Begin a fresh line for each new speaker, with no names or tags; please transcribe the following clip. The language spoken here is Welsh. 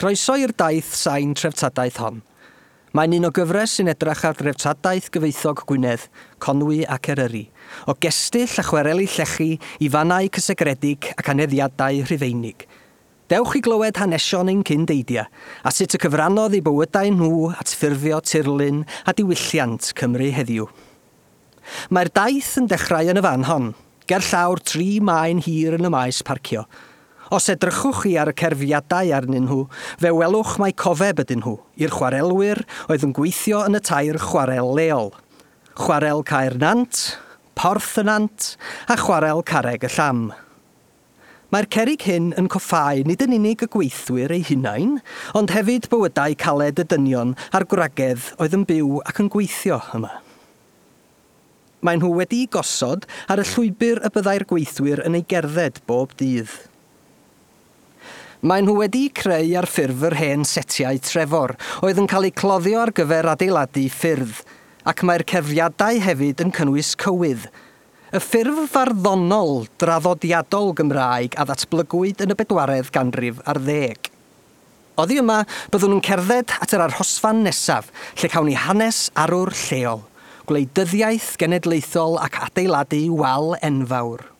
Croeso i'r daith sain treftadaeth hon. Mae'n un o gyfres sy'n edrach ar dreftadaeth gyfoethog Gwynedd, Conwy ac Eryri, o gestyll a chwareli llechi i fannau cysegredig ac aneddiadau Rhufeinig. Dewch i glywed hanesion ein cyn-deidia, a sut y cyfrannodd eu bywydau nhw at ffurfio tirlun a diwylliant Cymru heddiw. Mae'r daith yn dechrau yn y fan hon, ger llawr tri maen hir yn y maes parcio. Os edrychwch chi ar y cerfiadau arnyn nhw, fe welwch mai cofeb ydyn nhw i'r chwarelwyr oedd yn gweithio yn y tair chwarel leol, Chwarel Cae'r Nant, Porth y Nant a Chwarel Carreg y Llam. Mae'r cerrig hyn yn coffáu nid yn unig y gweithwyr eu hunain, ond hefyd bywydau caled y dynion a'r gwragedd oedd yn byw ac yn gweithio yma. Maen nhw wedi'u gosod ar y llwybr y byddai'r gweithwyr yn ei gerdded bob dydd. Maen nhw wedi'u creu ar ffurf yr hen setiau Trefor oedd yn cael eu cloddio ar gyfer adeiladu ffyrdd, ac mae'r cerfiadau hefyd yn cynnwys cywydd, Y ffurf farddonol draddodiadol Gymraeg a ddatblygwyd yn y bedwaredd ganrif ar ddeg. Oddi yma, byddwn yn cerdded at yr arhosfan nesaf, lle cawn ni hanes arwr lleol, gwleidyddiaeth genedlaethol ac adeiladu wal enfawr.